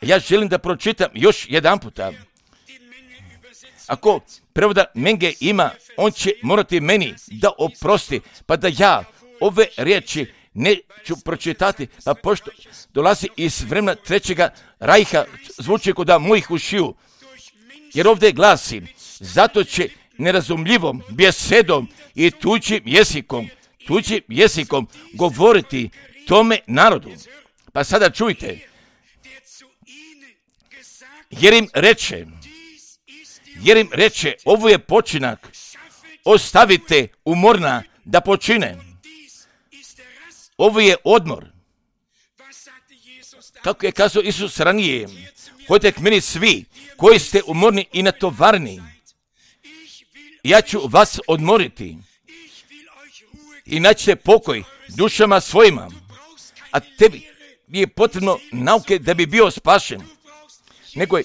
S1: ja želim da pročitam još jedan puta. Ako prevoda Menge ima, on će morati meni da oprosti, pa da ja ove riječi neću pročitati, pa pošto dolazi iz vremena Trećega rajha, zvuči kod mojih ušiju. Jer ovdje glasi, zato će nerazumljivom besedom i tuđim jezikom govoriti tome narodu. Pa sada čujte, jer im reče, ovo je počinak, ostavite umorna da počine. Ovo je odmor. Kako je kazao Isus ranije, hodite k meni svi koji ste umorni i natovarni, ja ću vas odmoriti i naćete pokoj dušama svojima. A tebi je potrebno nauke da bi bio spašen, nego je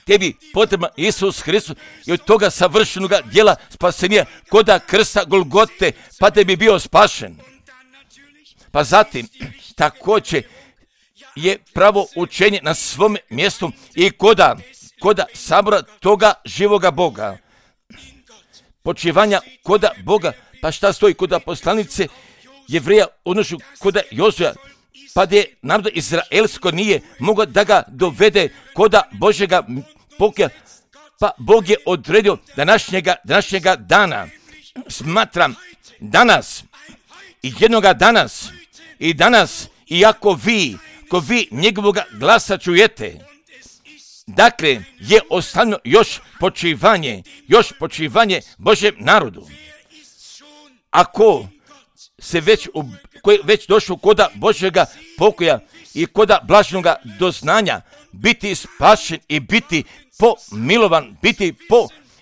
S1: tebi potreban Isus Hristos i od toga savršenoga djela spasenja koda krsta Golgote, pa da bi bio spašen. Pa zatim također je pravo učenje na svom mjestu i koda sabora toga živoga Boga. Počivanja koda Boga, pa šta stoji koda poslanice Jevreja, odnošu koda Jozua, pa gdje narod izraelsko nije mogao da ga dovede koda Božjega pokoja, pa Bog je odredio današnjega dana. Smatram danas i jednoga danas, i ako vi njegovoga glasa čujete, dakle je ostavljeno još počivanje Božjem narodu. Ako se već došlo koda Božjega pokoja i koda blaženoga doznanja, biti spašen i biti pomilovan,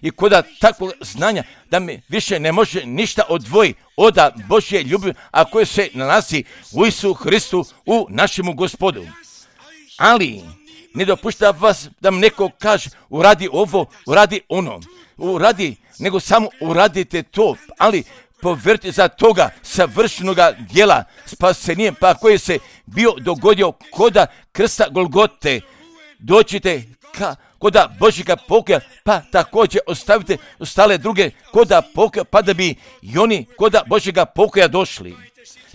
S1: i koda takvog znanja da me više ne može ništa odvojiti od Božje ljubavi, a koje se nalazi u Isusu Hristu, u našemu Gospodu. Ali ne dopušta vas da mi neko kaže uradi ovo, uradi ono, nego samo uradite to, ali poverite za toga savršenoga djela spasenjem, pa koji se bio dogodio koda krsta Golgote, dođite koda Božjega pokoja, pa također ostavite ostale druge koda pokoja, pa da bi i oni koda Božjega pokoja došli.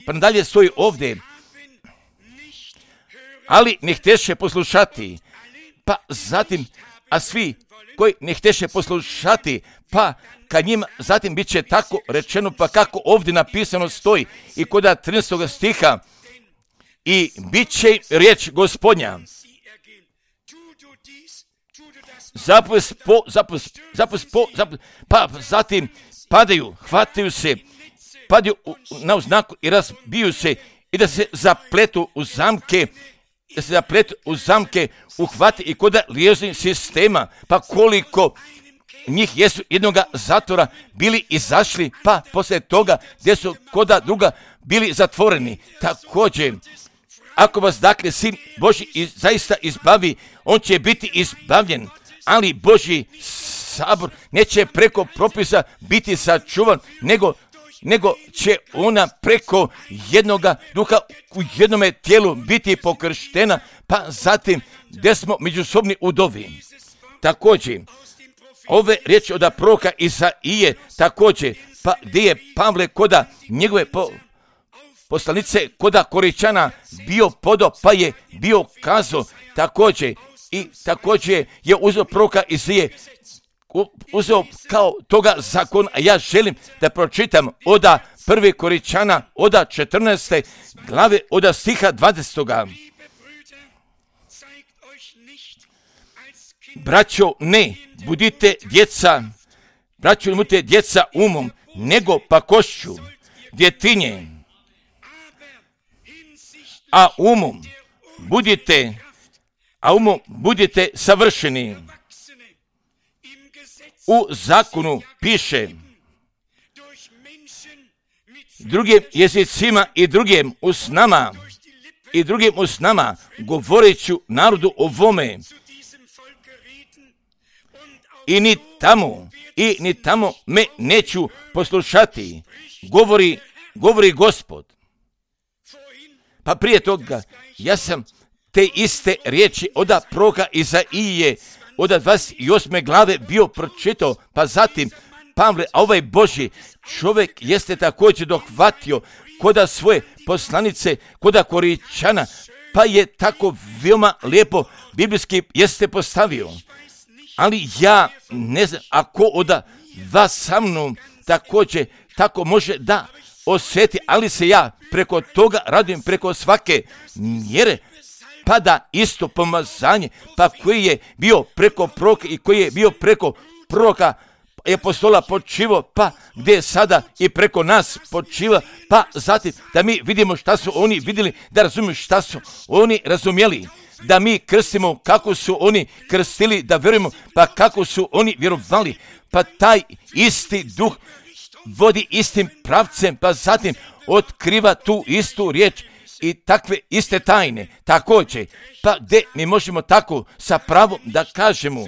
S1: Pa nadalje stoji ovdje, ali ne hteše poslušati, pa zatim, a svi koji ne hteše poslušati, pa kad njima zatim bit će tako rečeno, pa kako ovdje napisano stoji i koda 13. stiha, i bit će riječ Gospodnja pa zatim padaju, hvataju se, padaju na uznaku i razbiju se i da se zapletu u zamke, uhvati i kod lijeznih sistema, pa koliko njih jesu jednoga zatvora bili izašli, pa poslije toga gdje su koda druga bili zatvoreni. Također, ako vas dakle Sin Božji zaista izbavi, on će biti izbavljen, ali Božji sabor neće preko propisa biti sačuvan, nego će ona preko jednoga duha u jednome tijelu biti pokrštena, pa zatim gdje smo međusobni udovi. Također, ove riječi od proroka Isaije, također, pa gdje je Pavle koda njegove poslanice koda Koričana bio podo, pa je bio kazo, također je uzeo proroka Isaije, uzeo kao toga zakona, a ja želim da pročitam od 1. Koričana, od 14. glave, od stiha 20. Braćo, ne budite djeca umom, nego pakošću, djetinje, a umom budite savršeni. U zakonu piše drugim jezicima i drugim usnama govorit ću narodu ovome, i ni tamo me neću poslušati, govori Gospod. Pa prije toga ja sam te iste riječi od proroka Isaije od 28. glave bio pročitao, pa zatim Pavle, a ovaj Božji čovjek jeste također dohvatio koda svoje poslanice, koda Koričana, pa je tako veoma lijepo biblijski jeste postavio. Ali ja ne znam, ako od vas sa mnom također tako može da osjeti, ali se ja preko toga radujem, preko svake mjere, pa da isto pomazanje, pa koji je bio preko proroka i koji je bio preko proroka apostola počivo, pa gdje je sada i preko nas počiva, pa zatim da mi vidimo šta su oni vidjeli, da razumiju šta su oni razumjeli, da mi krstimo kako su oni krstili, da vjerujemo pa kako su oni vjerovali, pa taj isti duh vodi istim pravcem, pa zatim otkriva tu istu riječ i takve iste tajne. Također, pa gdje mi možemo tako sa pravom da kažemo,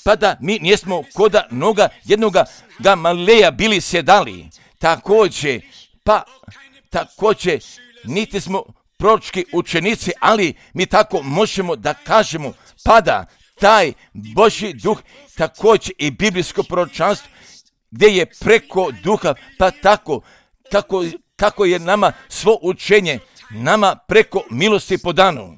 S1: pa da mi nismo koda noga jednoga Gamaleja bili sjedali. Također, niti smo proročki učenici, ali mi tako možemo da kažemo, pa da taj Božji duh također i biblijsko proročanstvo gdje je preko duha, pa tako kako je nama svo učenje, nama preko milosti podano.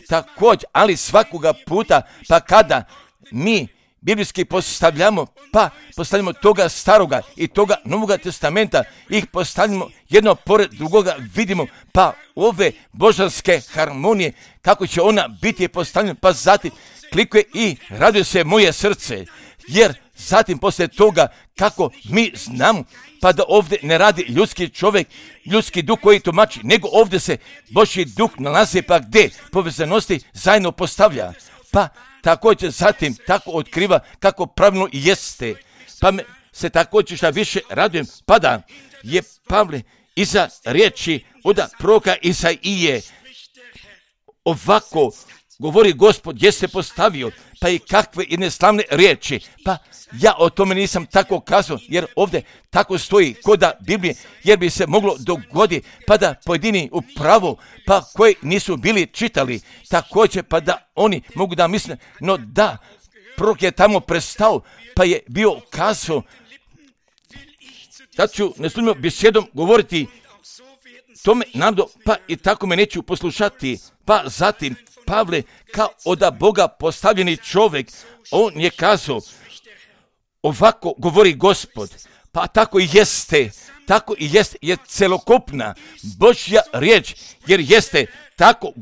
S1: Također, ali svakoga puta, pa kada mi biblijski postavljamo toga staroga i toga novoga testamenta, ih postavljamo jedno pored drugoga, vidimo pa ove božanske harmonije, kako će ona biti postavljena, pa zatim klikuje i raduje se moje srce, jer zatim poslije toga kako mi znamo, pa da ovdje ne radi ljudski čovjek, ljudski duh koji tumači, nego ovdje se Božji duh nalazi, pa gdje povezanosti zajedno postavlja, pa također zatim tako otkriva kako pravilno jeste. Pa me se također šta više radujem, pa da je Pavle iza riječi od proroka Isaije ovako govori Gospod, je se postavio, pa i kakve jedne slavne riječi. Pa ja o tome nisam tako kazao, jer ovdje tako stoji koda Biblije, jer bi se moglo dogoditi, pa da pojedini upravo, pa koji nisu bili čitali, također pa da oni mogu da misle, no da, prorok je tamo prestao, pa je bio kazao, sad ću neslužbenom besjedom govoriti tome narodu, pa i tako me neću poslušati, pa zatim Pavle, kao od Boga postavljeni čovjek, on je kazao, ovako govori Gospod, pa tako i jeste, je celokupna Božja riječ, jer jeste tako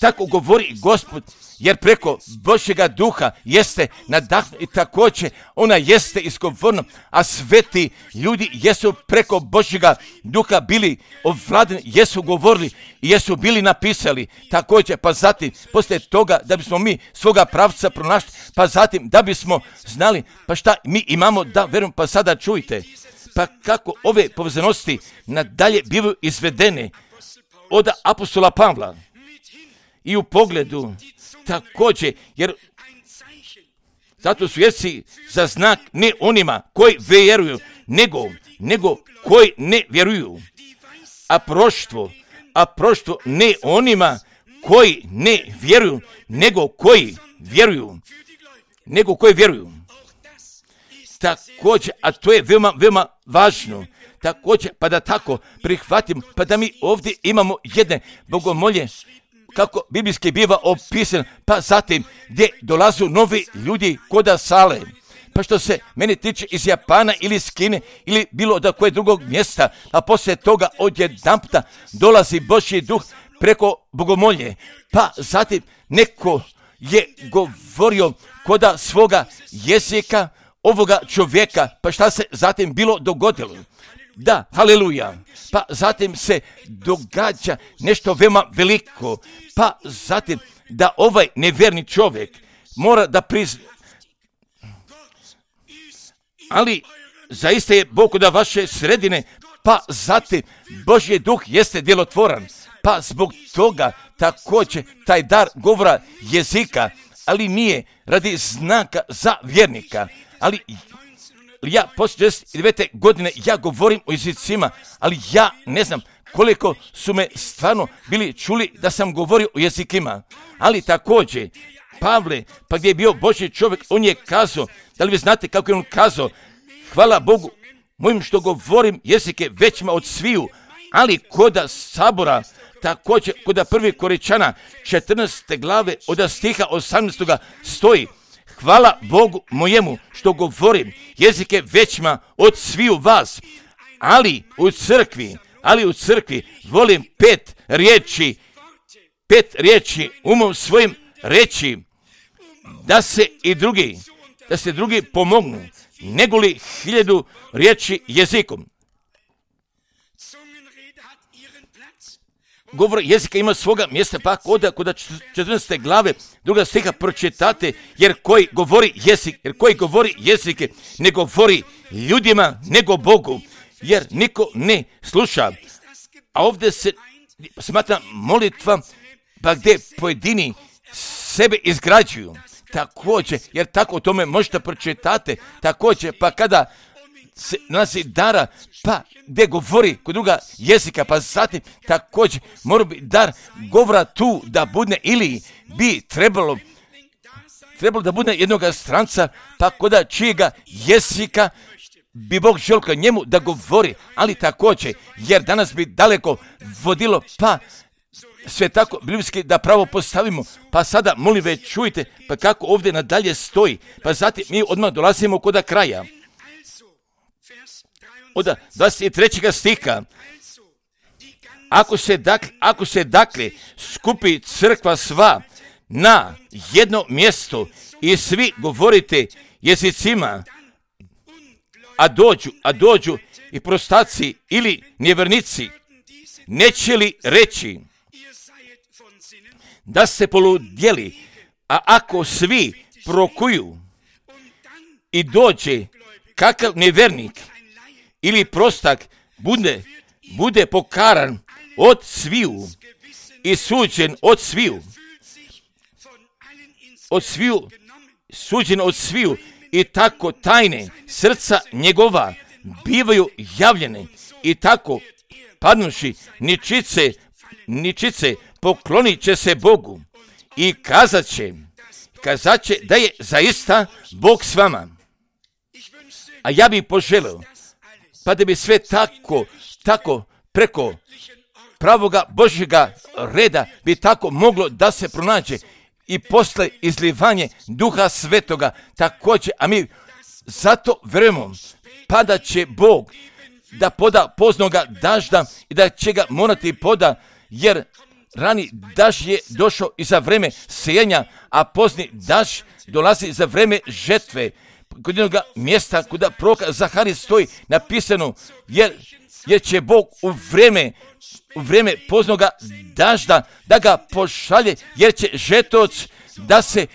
S1: tako govori Gospod, jer preko Božjega duha jeste nadahnuti i također ona jeste izgovorna, a sveti ljudi jesu preko Božjega duha bili ovladani, jesu govorili i jesu bili napisali također, pa zatim poslije toga da bismo mi svoga pravca pronašli, pa zatim da bismo znali pa šta mi imamo da verujem, pa sada čujte, pa kako ove povezanosti nadalje bivaju izvedene od apostola Pavla i u pogledu također, jer zato su jezici za znak ne onima koji vjeruju, nego koji ne vjeruju, a proštvo ne onima koji ne vjeruju, nego koji vjeruju. Također, a to je veoma, veoma važno, također, pa da tako prihvatimo, pa da mi ovdje imamo jedne bogomolje, kako biblijski biva opisan, pa zatim gdje dolazu novi ljudi koda sale. Pa što se mene tiče iz Japana ili iz Kine ili bilo da koje drugog mjesta, a poslije toga odjedanputa dolazi Božji duh preko bogomolje. Pa zatim neko je govorio koda svoga jezika ovoga čovjeka, pa šta se zatim bilo dogodilo? Da, haleluja. Pa zatim se događa nešto veoma veliko. Pa zatim da ovaj nevjerni čovjek mora da prizna. Ali zaista je Bog da vaše sredine, pa zatim Božji duh jeste djelotvoran. Pa zbog toga također taj dar govora jezika, ali nije radi znaka za vjernika. Ali ja poslije 49. godine ja govorim o jezicima, ali ja ne znam koliko su me stvarno bili čuli da sam govorio o jezikima. Ali također, Pavle, pa gdje je bio Božji čovjek, on je kazao, da li vi znate kako je on kazao, hvala Bogu, mojim što govorim jezike većima od sviju, ali koda sabora, također koda 1. Korinčana 14. glave od stiha 18. stoji, hvala Bogu mojemu što govorim jezike većima od sviju vas, ali u crkvi volim 5 riječi umom svojim reći, da se drugi pomognu, negoli 1000 riječi jezikom. Govor jezika ima svoga mjesta, pa kod 14. glave 2. stiha pročitate, jer koji govori jezike ne govori ljudima nego Bogu, jer niko ne sluša. A ovdje se smatra molitva, pa gdje pojedini sebe izgrađuju. Također, jer tako o tome možete pročitati, također, pa kada se nalazi dara, pa gdje govori kod druga jezika, pa zatim također mora biti dar govora tu da bude, ili bi trebalo da bude jednog stranca, pa kod čijega jezika bi Bog želio njemu da govori, ali također, jer danas bi daleko vodilo, pa sve tako biblijski da pravo postavimo, pa sada molim već čujte, pa kako ovdje nadalje stoji, pa zatim mi odmah dolazimo kod kraja. Od 23. stiha, ako se dakle skupi crkva sva na jedno mjesto i svi govorite jezicima, a dođu i prostaci ili nevjernici, neće li reći da se poludjeli, a ako svi prokuju i dođe kakav nevjernik ili prostak bude pokaran od sviju i suđen od sviju i tako tajne srca njegova bivaju javljene i tako padnuši ničice poklonit će se Bogu i kazat će da je zaista Bog s vama. A ja bih poželio, pa da bi sve tako preko pravoga Božjega reda bi tako moglo da se pronađe i posle izlivanje Duha Svetoga također, a mi zato vjerujemo, pa da će Bog da poda poznoga dažda i da će ga morati poda, jer rani daž je došao i za vreme sejanja, a pozni daž dolazi za vreme žetve. Kod jednog mjesta kuda proroka Zaharije stoji napisano, jer će Bog u vreme poznoga dažda da ga pošalje, jer će žetovac da se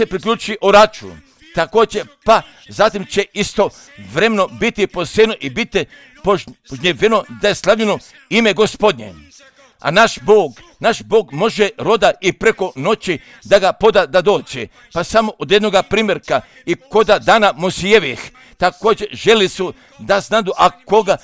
S1: priključi oraču. Također, pa zatim će isto vremeno biti posejano i biti požnjeveno da je slavljeno ime Gospodnje. A naš Bog može roda i preko noći da ga poda da dođe. Pa samo od jednoga primjerka i koda dana Mosijevih također želi su da znadu, a koga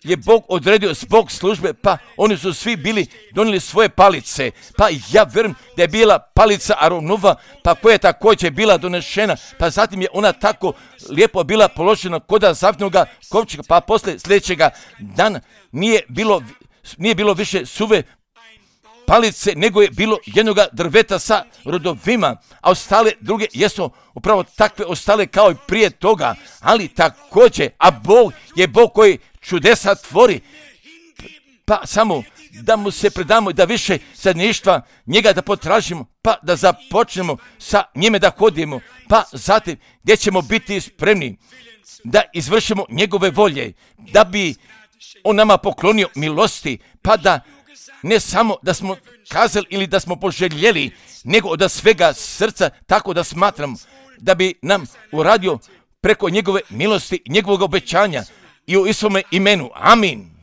S1: je Bog odredio zbog službe, pa oni su svi donijeli svoje palice. Pa ja vjerujem da je bila palica Aronova, pa koja je također bila donešena, pa zatim je ona tako lijepo bila položena koda zavnoga kovčega, pa poslije sljedećega dana nije bilo više suve palice, nego je bilo jednoga drveta sa rodovima, a ostale druge jesu upravo takve ostale kao i prije toga, ali također, a Bog je Bog koji čudesa tvori, pa samo da mu se predamo i da više zajedništva njega da potražimo, pa da započnemo sa njime da hodimo, pa zatim gdje ćemo biti spremni da izvršimo njegove volje, da bi on nama poklonio milosti, pa da ne samo da smo kazali ili da smo poželjeli, nego od svega srca tako da smatramo da bi nam uradio preko njegove milosti i njegovog obećanja i u Isovome imenu. Amin.